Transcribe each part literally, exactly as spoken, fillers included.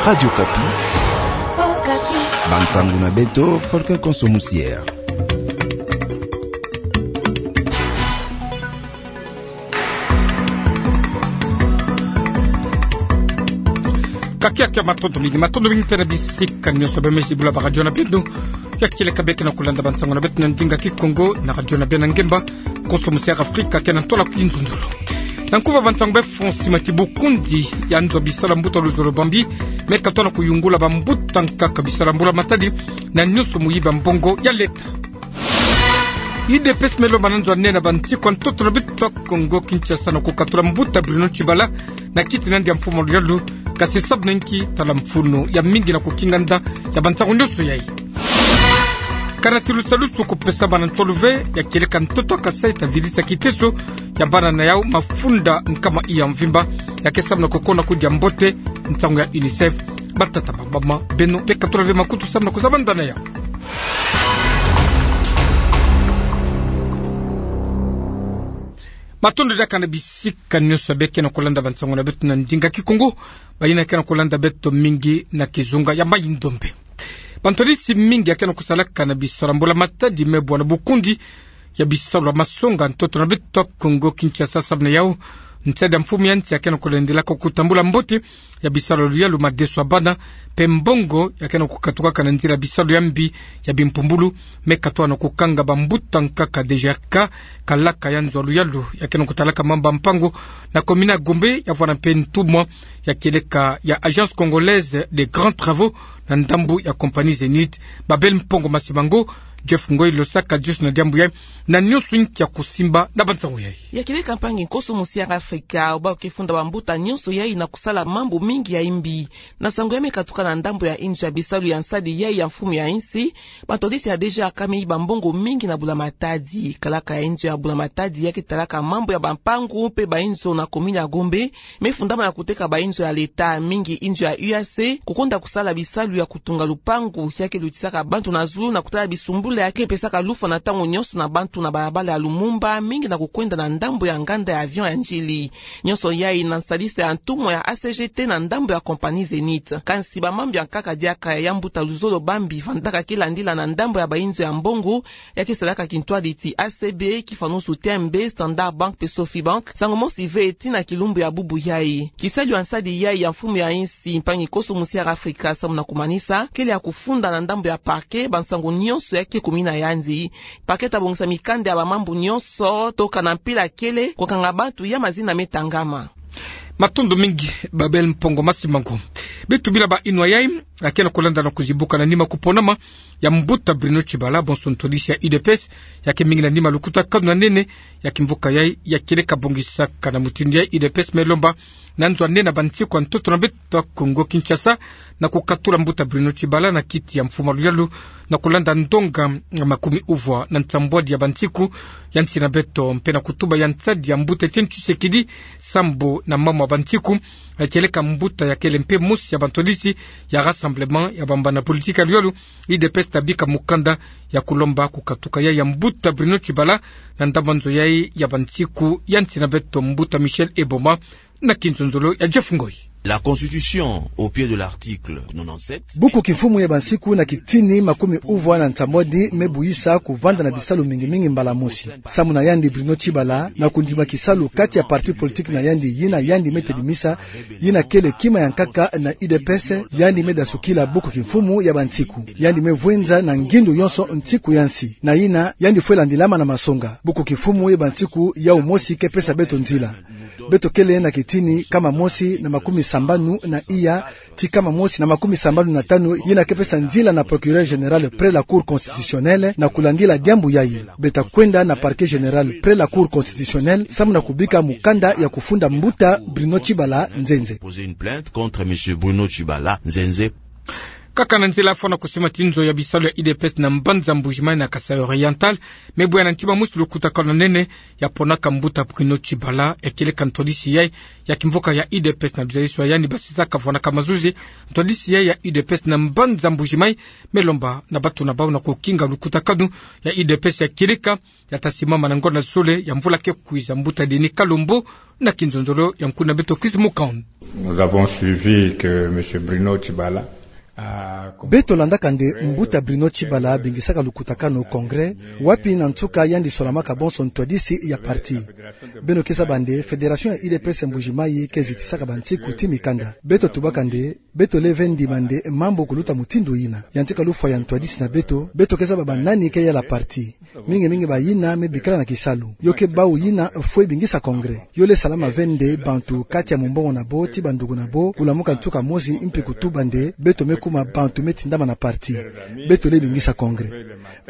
Radio Okapi. Bansangu na beto, Volcan Konso Musiere. Ka kiakia, matondo mingi, matondo mingi mpe na bisika nyonso bemezi bula ba radio na bino. Ya kieleka beke na kolanda bansangu na beto na ndinga Kikongo na radio na beno ya ngemba, Konso Musiere Afrika, ke na ntola kinzunzulu. Na nkufa bansangu bê, Francis Matibu, bukundi ya nzo ya bisalu ya mbuta luzolo bambi me katoa na kuyungula bambuta nkaka bisalu ya mbula matadi na nyonso muyibi ya mbongo ya leta. U D P S me lomba na nzo ya nene ya bansiku ya ntoto na beto Kongo Kinshasa na kukatula mbuta Bruno Tshibala na kiti na yandi ya mfumu ya luyalu, kasi sabu na inki tala mfunu ya mingi na kukinga nda ya bansangu nyonso yai. Kana ti lusalusu kupesa bana nsolu ve, ya kieleka ntoto ya Kasaï ta vidisa kiteso ya bana na yau mafunda nkama iya mvimba, ya ke samu na kukona kudia mbote nsangu ya UNICEF. Batata, bamama, beno be katula ve makutu samu na kuzaba nda na yau. Matondo diaka na bisika nyonso beke na kolanda bansangu na beto na ndinga Kikongo, bayina ke na kolanda beto mingi na kizunga ya mayi ndombe. Bantwadisi mingi ya ke na kusalaka na bisalu ya mbula matadi me bwana bukundi ya bisalu ya masonga ya ntoto na beto Kongo Kinshasa samu na yau nsadi ya mfumu ya nsi ya ke na kulendelaka kutambula mbote ya bisalu ya luyalu, madeso ya bana, mpe mbongo ya ke na kukatukaka na nzila ya bisalu ya mbi ya bimpumbulu, me katoa na kukanga bambuta nkaka D G R K, kalaka ya nzo ya luyalu ya ke na kutalaka mambu ya mpangu na komini ya Gombe, ya vwanda mpe ntumwa ya kieleka ya Agence Congolaise des Grands Travaux na ndambu ya compagnie Zenith, Babel Mpongo Masimango. Jeff Ngoi Losaka, diusu na diambu yai na nyonso inki ya kusimba na bansangu yai. Ya kieleka, mpangi Konso Musiere Afrika, obâ ke funda bambuta nyonso yai na kusala mambu mingi ya imbi. Na nsangu ya me katuka na ndambu ya inzo ya bisalu ya nsadi yai ya mfumu ya nsi, bantwadisi ya D G R K me yiba mbongo mingi na bula matadi. Kalaka ya inzo ya bula matadi ya ke talaka mambu ya bampangu mpe bainzo na komini ya Gombe, me fundama na kuteka bainzo ya leta, mingi inzo ya U A C, kukonda kusala bisalu ya kutunga lupangu, ya ke lutisaka bantu na zulu na kutala bisumbula ya ke pesaka lufwa na ntangu nyonso na bantu na balabala ya Lumumba, mingi na kukwenda na ndambu ya nganda ya avion ya Ndjili. Nyonso yai na nsalisa ya ntumwa ya A C G T na ndambu ya compagnie Zenith. Kansi bamambu ya nkaka diaka ya mbuta luzolo bambi vandaka ke landila na ndambu ya bainzo ya mbongo, ya ke salaka kintwadi ti A C B, Kifanusu T M B, Standard Bank mpe Sofibank, nsangu mosi ve ti na kilumbu ya bubu yai. Kisalu ya nsadi yai ya mfumu ya nsi, mpangi Konso Musiere Afrika, samu na kumanisa, kele ya kufunda na ndambu ya parquet bansangu nyonso ya ke kumina yandi. Parquet ta bongisa mikanda ya bamambu nyonso, toka na mpila kele, kukanga bantu ya mazina me tangama. Matondo mingi, Babel Mpongo Masimango. Beto bina ba inwa yai, ya ke na kulanda na kuzibuka na nima kuponama ya mbuta Bruno Tshibala, bonso ntwadisi ya U D P S, ya ke mingi na nima lukutakanu na nene ya kimvuka yai, ya kieleka bongisaka na mutindu yai. U D P S me lomba na nzo ya nene ya bansiku ya ntoto na beto Kongo Kinshasa na kukatula mbuta Bruno Tshibala na kiti ya mfumu ya luyalu, na kulanda ndonga makumi uvwa na nsambwadi ya bansiku ya nsi na beto, mpe na kutuba ya nsadi ya mbuta Etienne Tshisekedi, sambu na mamu ya bansiku, ya kieleka mbuta ya kele mpe mosi ya bantwadisi ya Rassemblement ya bambana politique ya luyalu. U D P S ta bika mukanda ya kulomba kukatuka yai ya mbuta Bruno Tshibala na ndambu ya nzo yai ya bansiku ya nsi na beto, mbuta Michel Eboma, na kinzonzolo ya Jeff Ngoi. La Constitution, au pied de l'article nonante-sept. Buku kimfumu ya bansiku na kitini makumi uvwa na nsambwadi me buyisa kuvanda na bisalu mingi mingi mbala mosi. Samu na yandi Bruno Tshibala, na kundima kisalu kati ya parti politique na yandi, yina yandi me tedimisa, yina kele kima ya nkaka na U D P S, yandi me dasukila buku kimfumu ya bansiku. Yandi me vwenza na ngindu yonso nsiku ya nsi. Na yina, yandi fwe landilama na masonga. Buku kimfumu ya bansiku yau mosi ke pesa beto nzila. Beto kele na kitini kama mosi na makumi sambanu na iya ti kama mosi na makumi sambanu na tanu, yina ke pesa nzila na procureur général près la Cour constitutionnelle na kulandila diambu yai. Beta kwenda na parquet général près la Cour constitutionnelle samu na kubika mukanda ya kufunda mbuta Bruno Tshibala nzenze. Poser une plainte contre monsieur Bruno Tshibala nzenze. Kaka na nzila fwana kusima ti nzo ya bisalu ya U D P S na mbanza Mbuji-Mayi na Kasaï Oriental, me bwe ya na ntima mosi lukutakanu nene ya ponaka mbuta Bruno Tshibala, ya kieleka ntwadisi yayi ya kimvuka ya U D P S na luzaliso ya yandi basisaka fwanaka mazuzi. Ntwadisi yayi ya U D P S na mbanza Mbuji-Mayi me lomba na bato na bau na kukinga lukutakanu ya U D P S ya kieleka ya ta simama na ngonda zole ya mvula ke kwiza. Mbuta Denis Kalombo na kinzonzolo ya nkuna beto Chris Mukand. Nous avons suivi que monsieur Bruno Tshibala a... Beto landaka nde mbuta Bruno Tshibala abingisaka lukutakanu, congrès, wapi na nsuka yandi solamaka bonso ntwadisi ya parti. Beno ke zaba nde fédération ya U D P S Mbuji-Mayi ke zitisaka bansiku ti mikanda. Beto tubaka nde beto lele ve ndima nde mambu kuluta mutindu yina. Ya ntika lufwa ya ntwadisi na beto, beto ke zaba banani ke yala parti. Mingi mingi bayina me bikala na kisalu. Yo ke bau yina fwe bingisa congrès. Yo lele salama ve nde bantu kati ya mumbongo na bo ti banduku na bo kulamuka nsuka mosi mpi kutuba nde beto me kuma bantu me tindama na parti. Beto lele bingisa congrès.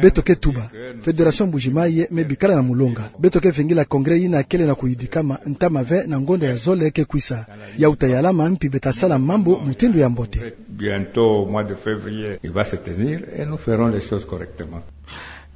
Beto ke tuba, fédération Mbuji-Mayi me bikala na mulonga. Beto ke vingila congrès yina kele na kuyidikama ntama ve na ngonda ya zole ke kwisa. Ya uta yalama mpi beta sala mambu mutindu ya mbote. Bientôt, au mois de février, il va se tenir et nous ferons les choses correctement.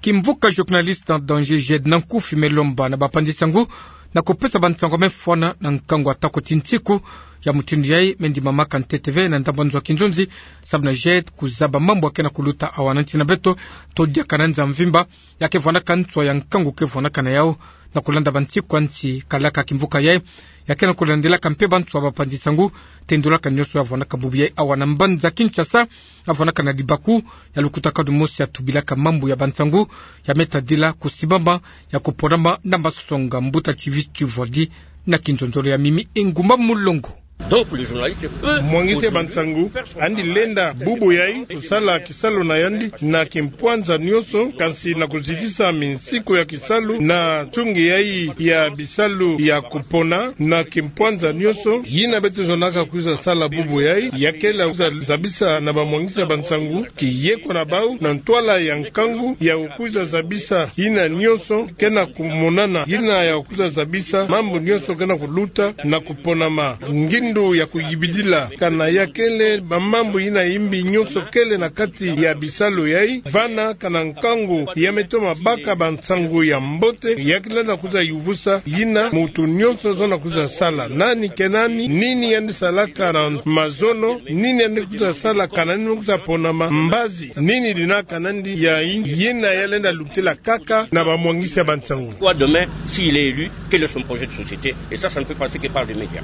Kimvuka journaliste en danger Jed Nankufi me lomba na bapanzi nsangu na kupesa bansangu me fwana na nkangu atako ti nsiku ya mutindu yayi me ndimamaka ntete ve na ndambu nzo ya kinzonzi, sababu na Jed kuzaba mambu ya ke na kuluta awa na nsi na beto, to diaka na nza mvimba, ya ke vwandaka nswa ya nkangu ke vwandaka na yau, na kulanda bansiku ya nsi kalaka kimvuka yayi ya ke na kulandilaka mpe banswa bapanzi nsangu, tendulaka nioso ya vwandaka bubu yayi awa na mbanza Kinshasa, ya vwandaka na libaku ya lukutakanu mosi ya tubilaka mambu ya bansangu, ya me tadila kusimama ya kuponama na masonga. Mbuta Chivis Chivodi na kinzonzolo ya Mimi Engumba Mulongo. Donc, le journaliste peut... Mwangisi ya bansangu andi lenda bubu yayi kusala kisalu na yandi na kimpwanza nioso, kansi na kuzitisa minsiku ya kisalu na nsungi yayi ya bisalu ya kupona na kimpwanza nioso. Yina beto zonzaka kwiza sala bubu yayi, ya kele kwiza zabisa na bamwangisi ya bansangu kiyeko na bau na ntwala ya nkangu ya kwiza zabisa yina nioso ke na kumonana, yina ya kwiza zabisa mambu nioso ke na kuluta na kuponama, ngindu ya kuyibidila. Kana ya kele bamambu yina yimbi nioso kele na kati ya bisalu yayi, vana kana nkangu ya me toma baka bansangu ya mbote, ya ke lenda kwiza yuvusa yina mutu nioso zonza kwiza sala. Nani ke nani, nini yandi salaka na mazono, nini yandi kwiza sala, kana nini kwiza ponama, mbazi nini dinaka nandi ya yina ya lenda lutila kaka na bamwangisi ya bansangu. Quoi demain, s'il est élu, quel est son projet de société? Et ça, ça ne peut passer que par des médias.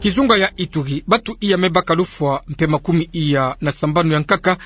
Kizunga ya Ituri, bato iya me baka lufwa mpe makumi iya na sambanu ya nkaka,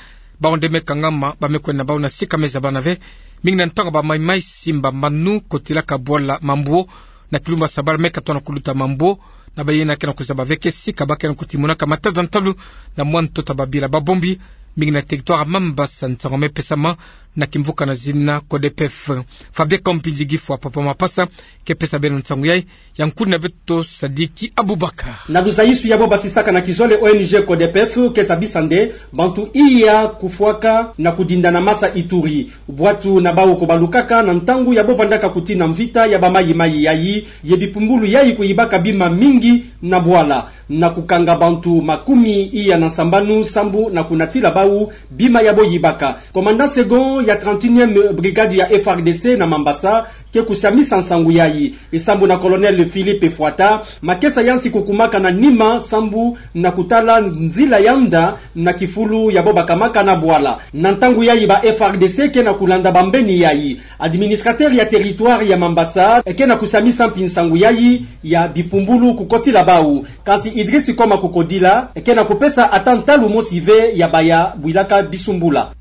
bau nde me kangama, ba me kwenda bau na sika me zabana ve, mingi na ntangu ba maimai simba manu kotilaka bwala Mambuo, na kilumbu ya sabala me katoa na kuluta Mambuo, na bayina ke na kuzaba ve ke sika ba ke na kutimonaka mataza ntalu na mwa ntoto ya babila babombi, mingi na territoire Mambasa. Nsangu me pesama na kimvuka na zina CODEPEF. Fabien Kampindi Gifwa, papa Mapasa, ke pesa beno nsangu yayi, ya nkuni na beto Sadiki Abubakar. Na luzaisu yabo basisaka na kizole, O N G CODEPEF ke zabisa nde bantu iya kufwaka na kudinda na masa Ituri, bwatu na bau ko balukaka na ntangu yabo vandaka kutina mvita ya ba maimai yayi, ye bipumbulu yayi kuyibaka bima mingi na bwala, na kukanga bantu makumi iya na sambanu sambu na kunatila bau bima yabo yibaka. Commandant second ya trente et unième brigade ya F R D C na Mambasa ke kusamisa nsangu yayi, sambu na colonel Philippe Fwata, makesa ya nsi kukumaka na nima sambu na kutala nzila ya nda na kifulu yabo bakamaka na bwala. Na ntangu yayi ba F R D C ke na kulanda bambeni yayi. Administrateur ya territoire ya Mambasa ke na kusamisa mpi nsangu yayi ya bipumbulu kukotila bau. Kansi Idriss Koma Kukodila ke na kupesa ata ntalu mosi ve ya baya bwilaka bisumbula.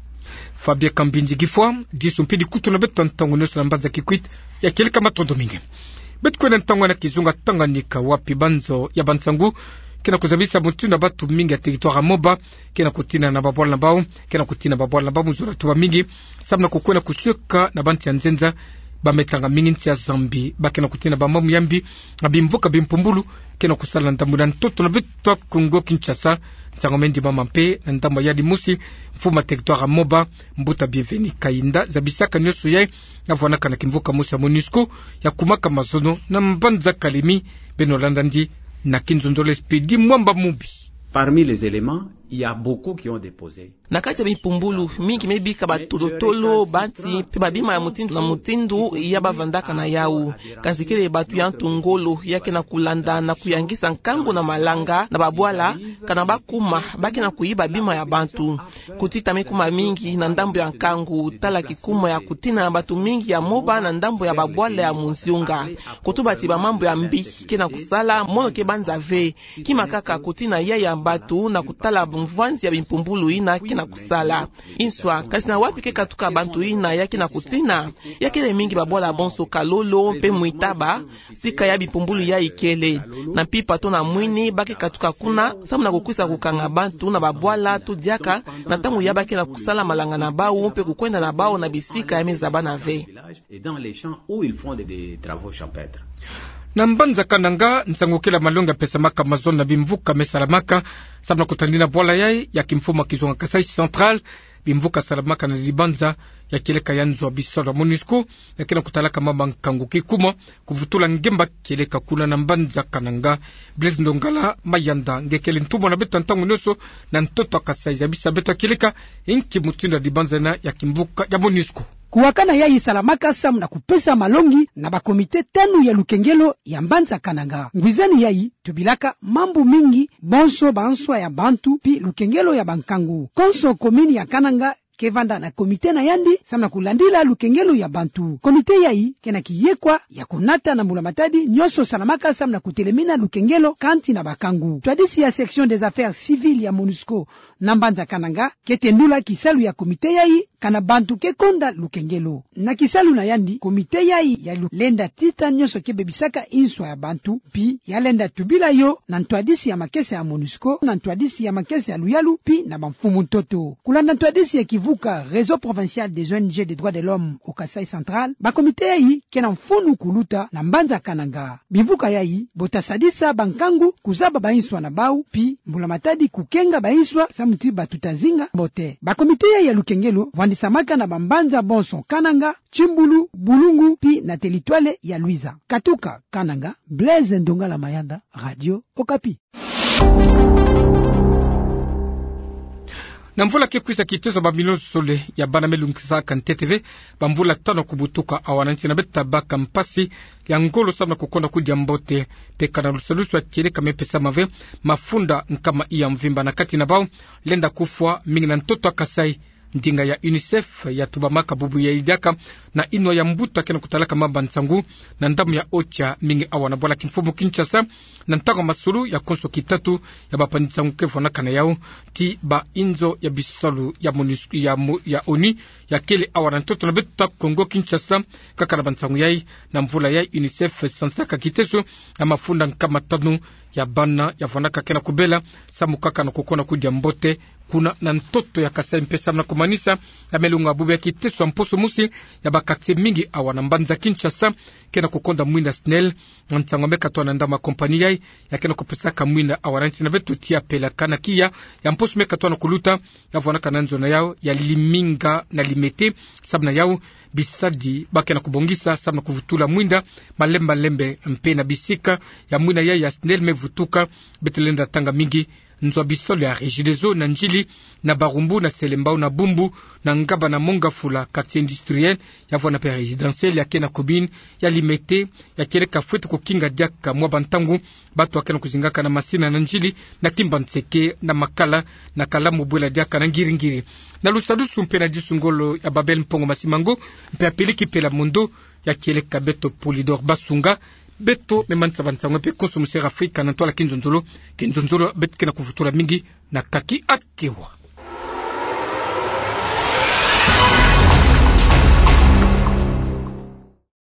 Fabien Kambindi Gifwa, disu mpi dikutu na beto ntangu nioso na mbanza Kikwit, ya kieleka matondo mingi. Beto kwenda ntangu na kizunga Tanganyika, wapi banzo ya bansangu ke na kuzabisa mutindu na batu mingi ya territoire ya Moba ke na kutina na babwala na bau, ke na kutina babwala na bau mu zola tuba mingi, samu na kukwenda kusioka na bansi ya nzenza, ba me tanga mingi nsi ya Zambie, ba ke na kutina bamambu ya mbi, na bimvuka bimpumbulu ke na kusala na ndambu na ntoto na beto Kongo Kinshasa. Nsangu me ndimama mpe na ndambu ya yandi mosi, mfumu ya territoire ya Moba, mbuta Bienvenu Kayinda, zabisaka nioso yayi, ya vwanaka na kimvuka mosi ya MONUSCO ya kumaka mazono na mbanza Kalemi. Beno landa yandi na kinzonzolo Expédit Mwamba Mubi. Parmi les éléments, il y a beaucoup qui ont déposé. Na kati ya bimpumbulu, mingi me bika batolotolo, banti, mpe babima ya mutindu na mutindu ya bavandaka na yau. Kansi kele bato ya ntu ngolo ya ke na kulanda na kuyangisa nkangu na malanga na babwala, kana bakuma ba ke na kuyiba bima ya bantu. Kutita me kuma mingi na ndambu ya nkangu, tala kikuma ya kutina na bato mingi ya moba na ndambu ya babwala ya munzunga. Kutuba ti bamambu ya mbi ke na kusala, mono ke banza ve. Kima kaka kutina ya ya bato na kutala mvwanzi ya bimpumbulu yina ke na kusala. Inswa, kansi na wapi ke katuka bantu yina ya ke na kutina? Ya kele mingi babwala bonso Kalolo mpe Mwitaba, sika ya bimpumbulu yayi kele. Na mpimpa to na mwini, ba ke katuka kuna, samu na kukwisa kukanga bantu na babwala to diaka, na ntangu ya ba ke na kusala malanga na bau mpe kukwenda na bau na bisika ya me zabana ve. Et dans les champs où ils font des, des travaux champêtres. Na mbanza Kananga, nsangu kele malongi ya pesamaka mazono na bimvuka me salamaka samu na kutadina bwala yayi ya kimfumu ya kizunga Kasaï Central, bimvuka salamaka na dibanza ya kieleka ya nzo ya bisalu ya MONUSCO, ya ke na kutalaka mama nkangu kikuma, kuvutula ngemba kieleka kuna na mbanza Kananga. Blaise Ndongala Mayanda, nge kele ntumwa na beto ya ntangu nyonso na ntoto ya Kasaï, zabisa beto ya kieleka, inki mutindu ya dibanza yina ya kimvuka ya MONUSCO. Kuwakana yayi salamaka samu na kupesa malongi na ba comité tanu ya lukengelo ya mbanza Kananga. Ngwizani yayi tubilaka mambu mingi, bonso banswa ya bantu, pi lukengelo ya bankangu. Konso commune ya Kananga ke vanda na comité na yandi, samu na kulandila lukengelo ya bantu. Comité yayi ke na kiyekwa ya kunata na mbula matadi nyonso salamaka samu na kutelemina lukengelo kanti na bakangu. Ntwadisi ya section des affaires civiles ya MONUSCO na mbanza Kananga ke tendula kisalu ya comité yayi, kana bantu ke konda lukengelo. Na kisalu na yandi, comité yayi ya lu-, lenda tita nyonso ke bebisaka inswa ya bantu, pi ya lenda tubila yo na ntwadisi ya makesa ya MONUSCO, na ntwadisi ya makesa ya luyalu, pi na bamfumu ntoto. Kulanda ntwadisi ya kivuka Réseau Provincial des O N G des Droits de l'Homme au Kasaï Central, ba comité yayi ke na mfunu kuluta na mbanza Kananga. Bimvuka yayi bo ta sadisa bankangu kuzaba bainswa na bau, pi mbula matadi kukenga bainswa samu ti batuta zinga mbote. Ba comité yayi ya lukengelo vwandisamaka na bambanza bonso Kananga, Tsimbulu, Bulungu, pi na territoire ya Luiza. Katuka Kananga, Blaise Ndongala Mayanda, Radio Okapi. Na mvula ke kwisa, kitezo ya bamilio zole ya bana me lungisa kantete ve bamvula tanu ya kubutuka awa na nsi na beto ta baka mpasi ya ngolo samu na kukonda kudia mbote. Mpe kana lusadusu ya kieleka me pesama ve, mafunda nkama ina ya mvimba na kati na bau lenda kufwa, mingi na ntoto ya Kasaï. Ndinga ya UNICEF ya tubamaka bubu yayi diaka na inwa ya mbuta ke na kutalaka mama nsangu na ndambu ya Ocha, mingi awa na bwala kimfumu Kinshasa, na ntangu ya masolo ya konso kitatu ya bampangi nsangu ke vwanaka na yau ti bainzo ya bisalu ya MONUSCO, ya mo-, ya ONU, ya kele awa na ntoto na beto ta Kongo Kinshasa. Kaka na bansangu yayi, na mvula yayi UNICEF sansaka kitezo ya mafunda nkama tanu ya bana ya vwanaka ke na kubela samu kaka na kukonda kudia mbote kuna na ntoto ya Kasaï, mpe samu na kumanisa ya melonga bubu ya kitezo ya mposo mosi ya ba quartier mingi awa na mbanza Kinshasa ke na kukonda mwinda SNEL. Nsangu me katoa na ndambu ya compagnie yayi ya ke na kupesaka mwinda awa na nsi na beto ti ya Pelaka na Kiya, ya mposo me katoa na kuluta, ya vwanaka na nzo na yau ya Liminga na Limete. Samu na yau, bisadi ba ke na kubongisa samu na kuvutula mwinda malembe malembe, mpe na bisika ya mwinda yayi ya SNEL me vutuka, beto lenda tanga mingi nzo ya bisalu ya Regideso na Ndjili, na Barumbu, na Selembao, na Bumbu, na Ngaba, na Mont Ngafula, quartier industriel, ya vwanda mpe résidentiel ya ke na commune ya Limete. Ya kieleka fwete kukinga diaka mwa bantangu bato ya ke na kuzingaka na masina na Ndjili, na Kimbanseke, na Makala, na Kalamu, bwela diaka na Ngiri-Ngiri. Na lusadusu mpe na disu ngolo ya Babel Mpongo Masimango, mpe ya Peliki Pela Mondo, ya kieleka beto Polydor Basunga. Beto me manisa bansangu mpe konso mu Sera Afrika na ntwala kinzonzolo, kinzonzolo beto ke na kuvutula mingi na kaki akewa.